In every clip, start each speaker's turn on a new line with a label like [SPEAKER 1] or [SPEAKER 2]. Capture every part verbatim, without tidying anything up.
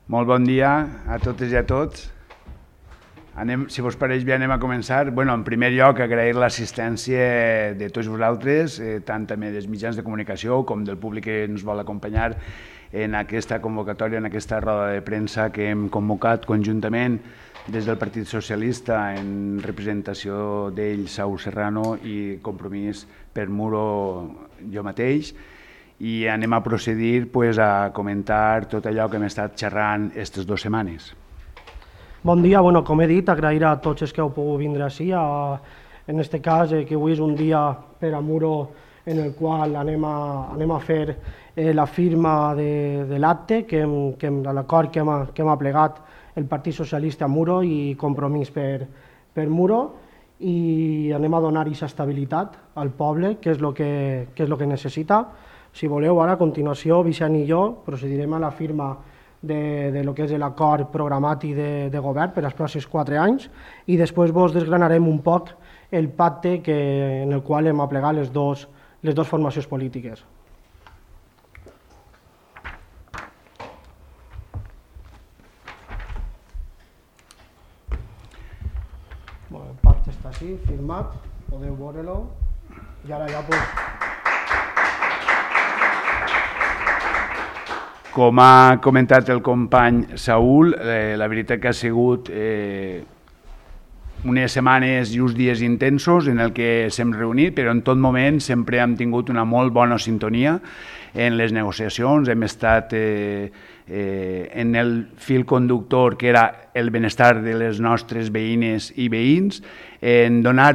[SPEAKER 1] Molt bon dia a totes i a tots. Anem, si vos pareix bé, anem a començar. Bueno, en primer lloc, agrair l'assistència de tots vosaltres, eh, tant també dels mitjans de comunicació com del públic que ens vol acompanyar en aquesta convocatòria, en aquesta roda de premsa que hem convocat conjuntament des del Partit Socialista en representació d'ell, Saúl Serrano, i Compromís per Muro, jo mateix. I anem a procedir pues, a comentar tot allò que hem estat xerrant aquestes dues setmanes.
[SPEAKER 2] Bon dia, bueno, com he dit, agrair a tots els que heu pogut vindre així. A, en aquest cas, eh, que avui és un dia per a Muro en el qual anem a, anem a fer eh, la firma de, de l'acte, que, que, de l'acord que, hem, que hem aplegat el Partit Socialista a Muro i Compromís per, per Muro, i anem a donar aquesta estabilitat al poble, que és el que, que, és lo que necessita. Si voleu, ara a continuació, Vicent i jo procedirem a la firma de, de lo que és l'acord programàtic de, de govern per als pròxims quatre anys i després vos desgranarem un poc el pacte que, en el qual hem aplegat les dos, les dues formacions polítiques. Bueno, el pacte està així, firmat, podeu veure-lo i ara ja pues,
[SPEAKER 1] com ha comentat el company Saúl, eh, la veritat que ha sigut eh, unes setmanes i uns dies intensos en el que s'hem reunit, però en tot moment sempre hem tingut una molt bona sintonia en les negociacions. Hem estat eh, eh, en el fil conductor que era el benestar de les nostres veïnes i veïns, en donar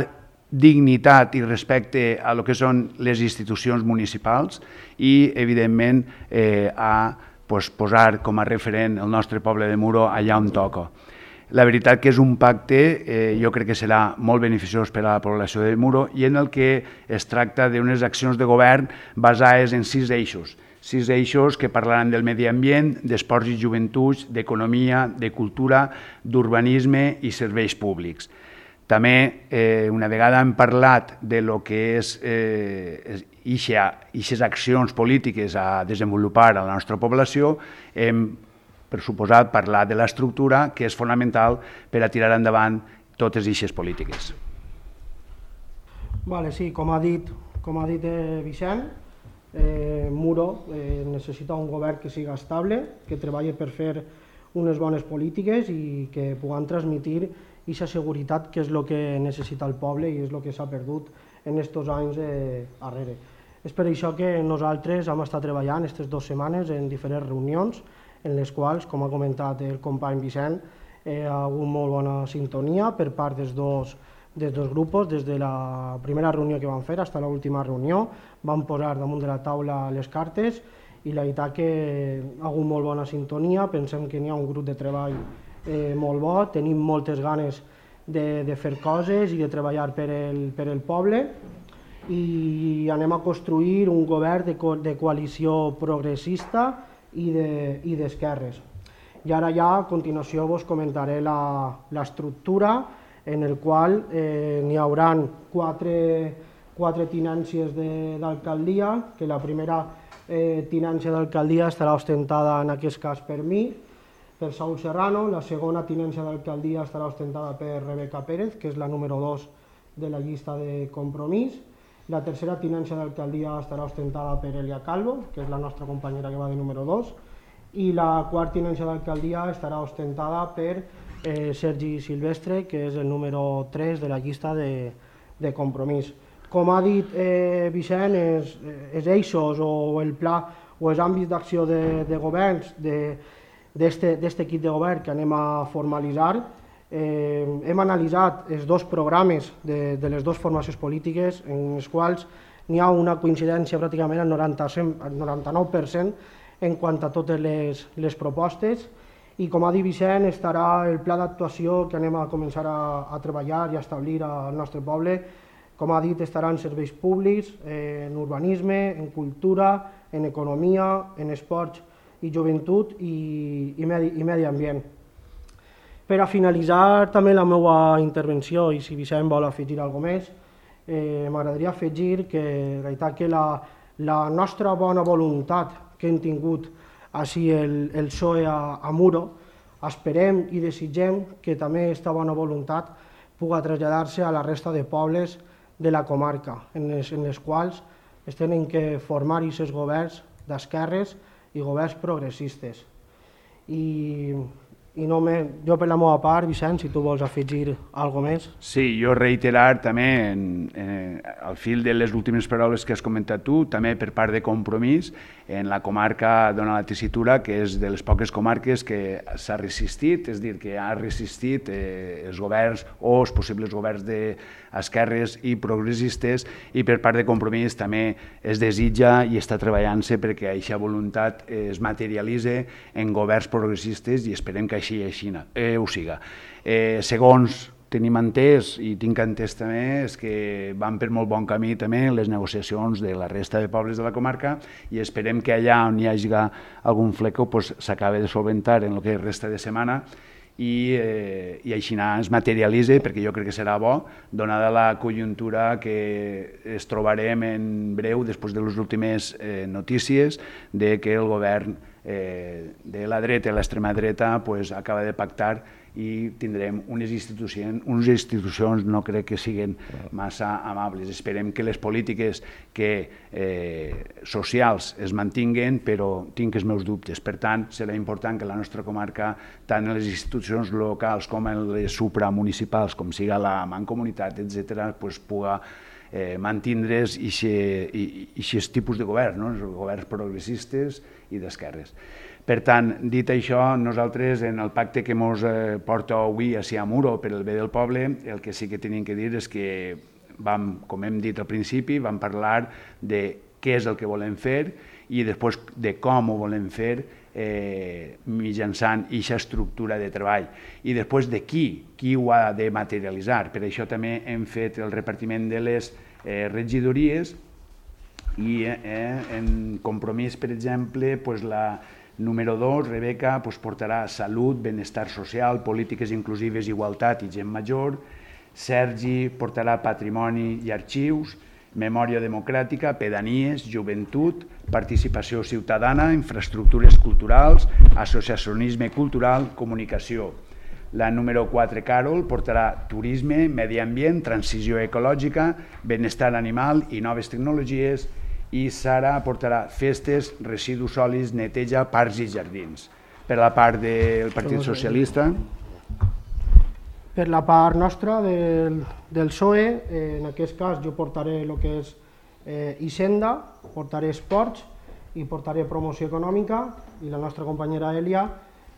[SPEAKER 1] dignitat i respecte a lo que són les institucions municipals i, evidentment, eh, a pues, posar com a referent el nostre poble de Muro allà on toca. La veritat que és un pacte, eh, jo crec que serà molt beneficiós per a la població de Muro i en el que es tracta d'unes accions de govern basades en sis eixos. Sis eixos que parlaran del medi ambient, d'esports i joventuts, d'economia, de cultura, d'urbanisme i serveis públics. També, eh, una vegada hem parlat de lo que és eh, aquestes accions polítiques a desenvolupar a la nostra població, hem, per suposat, parlat de l'estructura, que és fonamental per a tirar endavant totes aquestes polítiques.
[SPEAKER 2] Vale, sí, com ha dit, com ha dit eh, Vicent, eh, Muro eh, necessita un govern que siga estable, que treballi per fer unes bones polítiques i que puguem transmitir aquesta seguretat que és el que necessita el poble i és el que s'ha perdut en aquests anys eh, darrere. És per això que nosaltres hem estat treballant aquestes dues setmanes en diferents reunions en les quals, com ha comentat el company Vicent, eh, ha hagut molt bona sintonia per part dels dos, dels dos grups. Des de la primera reunió que vam fer fins a l'última reunió vam posar damunt de la taula les cartes i la veritat que ha hagut molt bona sintonia. Pensem que n'hi ha un grup de treball eh, molt bo, tenim moltes ganes de, de fer coses i de treballar per el, per el poble i anem a construir un govern de, co de coalició progressista i d'esquerres. De, I ara ja a continuació vos comentaré l'estructura en el qual eh, n'hi haurà quatre, quatre tinències d'alcaldia, que la primera eh, tinència d'alcaldia estarà ostentada en aquest cas per mi, per Saúl Serrano, la segona tinència d'alcaldia estarà ostentada per Rebeca Pérez, que és la número dos de la llista de Compromís, la tercera tinència d'alcaldia estarà ostentada per Elia Calvo, que és la nostra companyera que va de número dos, i la quarta tinència d'alcaldia estarà ostentada per eh, Sergi Silvestre, que és el número tres de la llista de, de Compromís. Com ha dit eh, Vicent, els, els eixos o el pla o els àmbits d'acció de, de governs d'aquest equip de govern que anem a formalitzar, eh, hem analitzat els dos programes de, de les dues formacions polítiques en els quals n'hi ha una coincidència pràcticament al noranta-nou per cent en quant a totes les, les propostes i, com ha dit Vicent, estarà el pla d'actuació que anem a començar a, a treballar i a establir al nostre poble. Com ha dit, estaran serveis públics, eh, en urbanisme, en cultura, en economia, en esports i joventut i, i, medi, i medi ambient. Per a finalitzar també la meva intervenció, i si Vicent vol afegir alguna cosa més, eh, m'agradaria afegir que, que la, la nostra bona voluntat que hem tingut així el, el P S O E a, a Muro. Esperem i desitgem que també aquesta bona voluntat pugui traslladar-se a la resta de pobles de la comarca, en les, en les quals es tenen que formar aquests governs d'esquerres i governs progressistes. I, i no me, jo per la meva part, Vicent, si tu vols afegir alguna més.
[SPEAKER 1] Sí, jo reiterar també, en, en, al fil de les últimes paraules que has comentat tu, també per part de Compromís, en la comarca d'Ona la Tessitura, que és de les poques comarques que s'ha resistit, és a dir, que ha resistit eh, els governs o els possibles governs d'esquerres i progressistes, i per part de Compromís també es desitja i està treballant-se perquè aquesta voluntat es materialitzi en governs progressistes i esperem que així, així eh, ho siga. Eh, segons tenim entès i tinc entès també és que van per molt bon camí també les negociacions de la resta de pobles de la comarca i esperem que allà on hi hagi algun fleco pues, s'acabi de solventar en el que resta de setmana i, eh, i així es materialitzi, perquè jo crec que serà bo, donada la conjuntura que es trobarem en breu després de les últimes eh, notícies de que el govern eh, de la dreta i l'extrema dreta pues, acaba de pactar i tindrem unes institucions, unes institucions no crec que siguin massa amables. Esperem que les polítiques que, eh, socials es mantinguen, però tinc els meus dubtes. Per tant, serà important que la nostra comarca, tant en les institucions locals com en les supramunicipals, com siga la Mancomunitat, etcètera, pues, pugui eh, mantindre's aquests tipus de govern, no? Els governs progressistes i d'esquerres. Per tant, dit això, nosaltres en el pacte que ens eh, porta avui a Muro per el bé del poble, el que sí que tenim que dir és que vam, com hem dit al principi, vam parlar de què és el que volem fer i després de com ho volem fer eh, mitjançant aquesta estructura de treball i després de qui, qui ho ha de materialitzar. Per això també hem fet el repartiment de les eh, regidories i eh, en Compromís, per exemple, pues la número dos, Rebeca, pues, portarà salut, benestar social, polítiques inclusives, igualtat i gent major. Sergi portarà patrimoni i arxius, memòria democràtica, pedanies, joventut, participació ciutadana, infraestructures culturals, associacionisme cultural, comunicació. La número quatre, Carol, portarà turisme, medi ambient, transició ecològica, benestar animal i noves tecnologies, i Sara portarà festes, residus sòlids, neteja, parcs i jardins. Per la part del Partit Socialista...
[SPEAKER 2] Per la part nostra del, del P S O E, eh, en aquest cas jo portaré el que és eh, Hisenda, portaré esports i portaré promoció econòmica i la nostra companyera Elia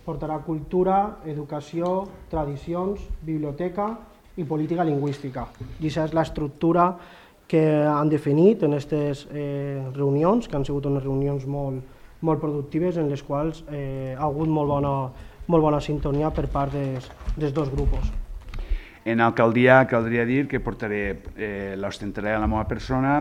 [SPEAKER 2] portarà cultura, educació, tradicions, biblioteca i política lingüística. I aquesta és l'estructura que han definit en aquestes eh, reunions, que han sigut unes reunions molt, molt productives en les quals eh, ha hagut molt bona, molt bona sintonia per part des, dels dos grups.
[SPEAKER 1] En alcaldia caldria dir que portaré, eh, l'ostentaré a la meva persona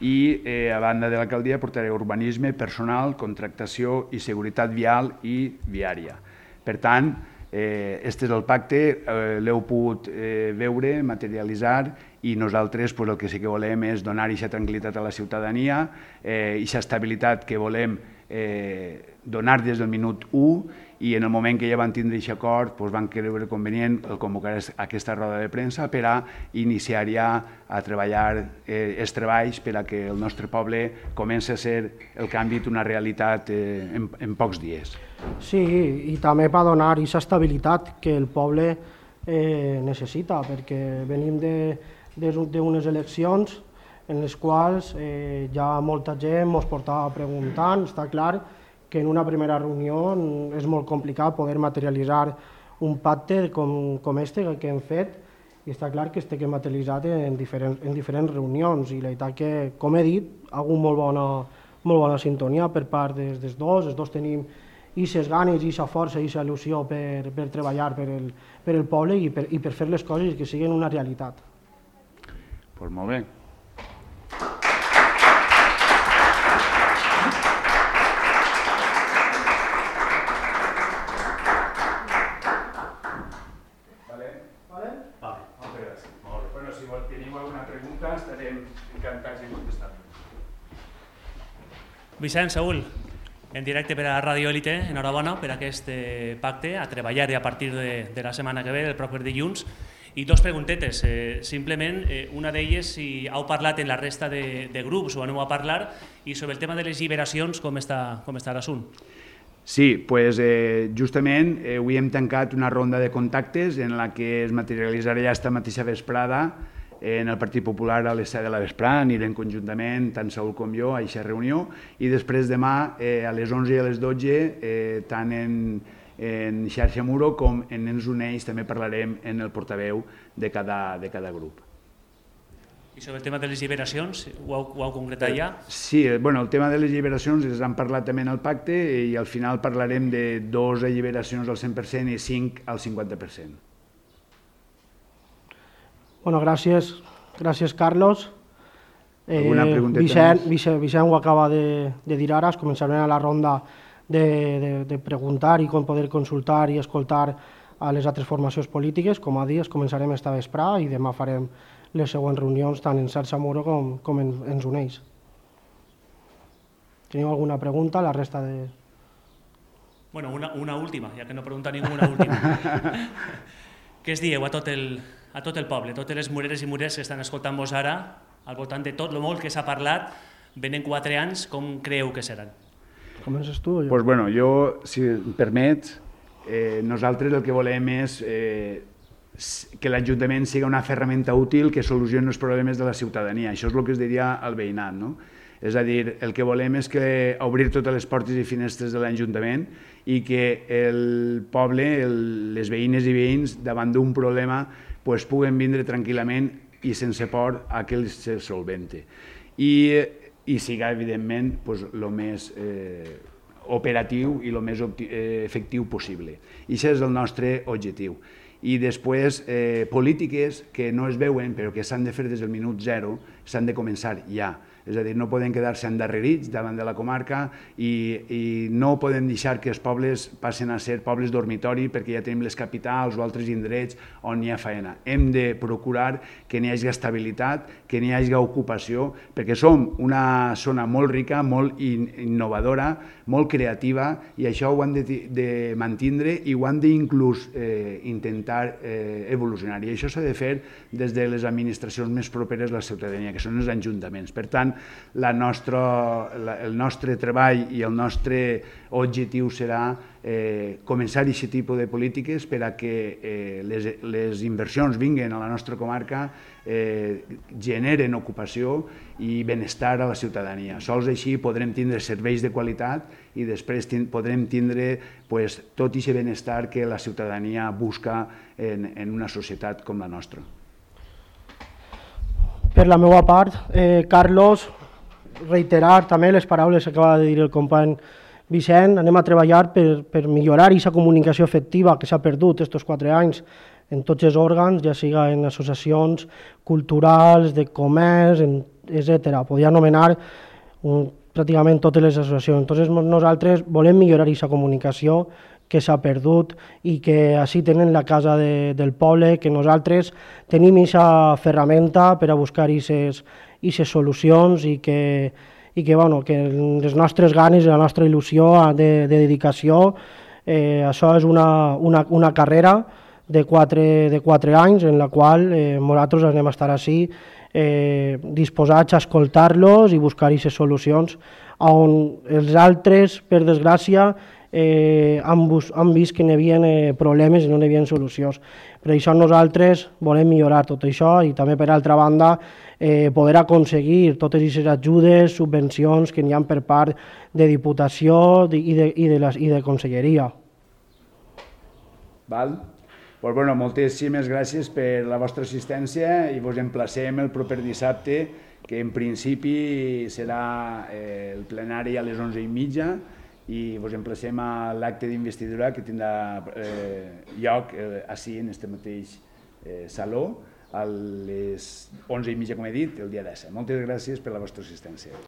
[SPEAKER 1] i eh, a banda de l'alcaldia portaré urbanisme, personal, contractació i seguretat vial i viària. Per tant, eh, este és el pacte, eh, l'heu pogut eh, veure, materialitzar i nosaltres pues, el que sí que volem és donar aquesta tranquil·litat a la ciutadania, eh, aquesta estabilitat que volem eh, donar des del minut u i en el moment que ja van tindre aquest acord pues, van creure convenient el convocar aquesta roda de premsa per a iniciar ja a treballar eh, els treballs per a que el nostre poble comenci a ser el canvi d'una realitat eh, en, en pocs dies.
[SPEAKER 2] Sí, i també per donar aquesta estabilitat que el poble eh, necessita, perquè venim de d'unes eleccions en les quals eh, ja molta gent ens portava preguntant. Està clar que en una primera reunió és molt complicat poder materialitzar un pacte com, com este que hem fet i està clar que este que hem materialitzat en diferents, en diferents reunions i la veritat que, com he dit, ha hagut molt bona, molt bona sintonia per part dels, dels dos. Els dos tenim aquestes ganes, aquesta força, aquesta il·lusió per, per treballar per el, per el poble i per, i per fer les coses que siguin una realitat.
[SPEAKER 1] Pues molt bé. Vale? Vale? Vale, moltes gràcies. Molt bé. Bueno, si teniu alguna pregunta estarem encantats de contestar.
[SPEAKER 3] Vicent, Saúl, En directe per a Radio Élite, enhorabona per aquest pacte, a treballar a partir de, de la setmana que ve, el proper dilluns. I dos preguntetes, eh, simplement, eh, una d'elles si heu parlat en la resta de, de grups o aneu a parlar, i sobre el tema de les lliberacions, com està, com està l'assunt?
[SPEAKER 1] Sí, pues, eh, justament eh, avui hem tancat una ronda de contactes en la que es materialitzarà ja esta mateixa vesprada en el Partit Popular a les set de la vesprada, anirem conjuntament, tant Saúl com jo, a aquesta reunió, i després demà eh, a les onze i a les dotze, eh, tant en, en Xarxa Muro com en Ens Uneix, també parlarem en el portaveu de cada, de cada grup.
[SPEAKER 3] I sobre el tema de les lliberacions, ho heu, ho heu concretat ja?
[SPEAKER 1] Sí, bueno, el tema de les lliberacions es han parlat també en el pacte i al final parlarem de dos lliberacions al cent per cent i cinc al cinquanta per cent.
[SPEAKER 2] Bueno, gràcies, gràcies Carlos.
[SPEAKER 1] Alguna pregunteta
[SPEAKER 2] Vicent,
[SPEAKER 1] més?
[SPEAKER 2] Vicent, Vicent ho acaba de, de dir ara, es començarem a la ronda de, de, de preguntar i com poder consultar i escoltar a les altres formacions polítiques. Com a dit, es començarem esta vesprà i demà farem les següents reunions tant en Xarxa Muro com, com en Ens Uneix. Teniu alguna pregunta? La resta de...
[SPEAKER 3] Bueno, una, una última, ja que no pregunta ningú, una última. Què es dieu a tot el... a tot el poble, totes les mureres i murers que estan escoltant-vos ara, al voltant de tot el molt que s'ha parlat, venen quatre anys, com creieu que seran?
[SPEAKER 2] Comences tu o jo?
[SPEAKER 1] Pues bueno, jo, si em permets, eh, nosaltres el que volem és eh, que l'Ajuntament sigui una ferramenta útil que solucioni els problemes de la ciutadania. Això és el que es diria al veïnat, no? És a dir, el que volem és que obrir totes les portes i finestres de l'Ajuntament i que el poble, el, les veïnes i veïns, davant d'un problema, pues, puguen vindre tranquil·lament i sense por a que els se solvente. I, i siga, evidentment, pues, lo més eh, operatiu i el més eh, efectiu possible. I això és el nostre objectiu. I després, eh, polítiques que no es veuen, però que s'han de fer des del minut zero, s'han de començar ja. És a dir, no poden quedar-se endarrerits davant de la comarca i, i no podem deixar que els pobles passen a ser pobles dormitori perquè ja tenim les capitals o altres indrets on hi ha feina. Hem de procurar que n'hi hagi estabilitat, que n'hi hagi ocupació, perquè som una zona molt rica, molt innovadora, molt creativa, i això ho han de, de mantindre i ho han d'inclús eh, intentar eh, evolucionar. I això s'ha de fer des de les administracions més properes a la ciutadania, que són els ajuntaments. Per tant, la nostra, la, el nostre treball i el nostre objectiu serà eh, començar aquest tipus de polítiques per a que eh, les, les inversions vinguin a la nostra comarca, eh, generen ocupació i benestar a la ciutadania. Sols així podrem tindre serveis de qualitat i després tin, podrem tindre pues, tot aquest benestar que la ciutadania busca en, en una societat com la nostra.
[SPEAKER 2] Per la meva part, eh, Carlos, reiterar també les paraules que acaba de dir el company Vicent. Anem a treballar per, per millorar aquesta comunicació efectiva que s'ha perdut aquests quatre anys en tots els òrgans, ja siga en associacions culturals, de comerç, etcètera. Podria anomenar un, pràcticament totes les associacions. Entonces, nosaltres volem millorar aquesta comunicació que s'ha perdut i que així tenen la casa de, del poble, que nosaltres tenim aquesta ferramenta per a buscar aquestes solucions i que, i que, bueno, que les nostres ganes i la nostra il·lusió de, de dedicació, eh, això és una, una, una carrera de quatre, de quatre anys en la qual eh, nosaltres anem a estar així eh, disposats a escoltar-los i buscar aquestes solucions on els altres, per desgràcia, Eh, han, bus, han vist que n'hi havia eh, problemes i no n'hi havia solucions. Per això nosaltres volem millorar tot això i també, per altra banda, eh, poder aconseguir totes aquestes ajudes, subvencions que n'hi ha per part de Diputació i de, i de, la, i de Conselleria.
[SPEAKER 1] Val? Pues bueno, moltíssimes gràcies per la vostra assistència i vos emplacem el proper dissabte, que en principi serà eh, el plenari a les onze i mitja, i vos emplacem a l'acte d'investidura que tindrà eh, lloc eh, així, en aquest mateix eh, saló, a les onze i mitja, com he dit, el dia disset. Moltes gràcies per la vostra assistència.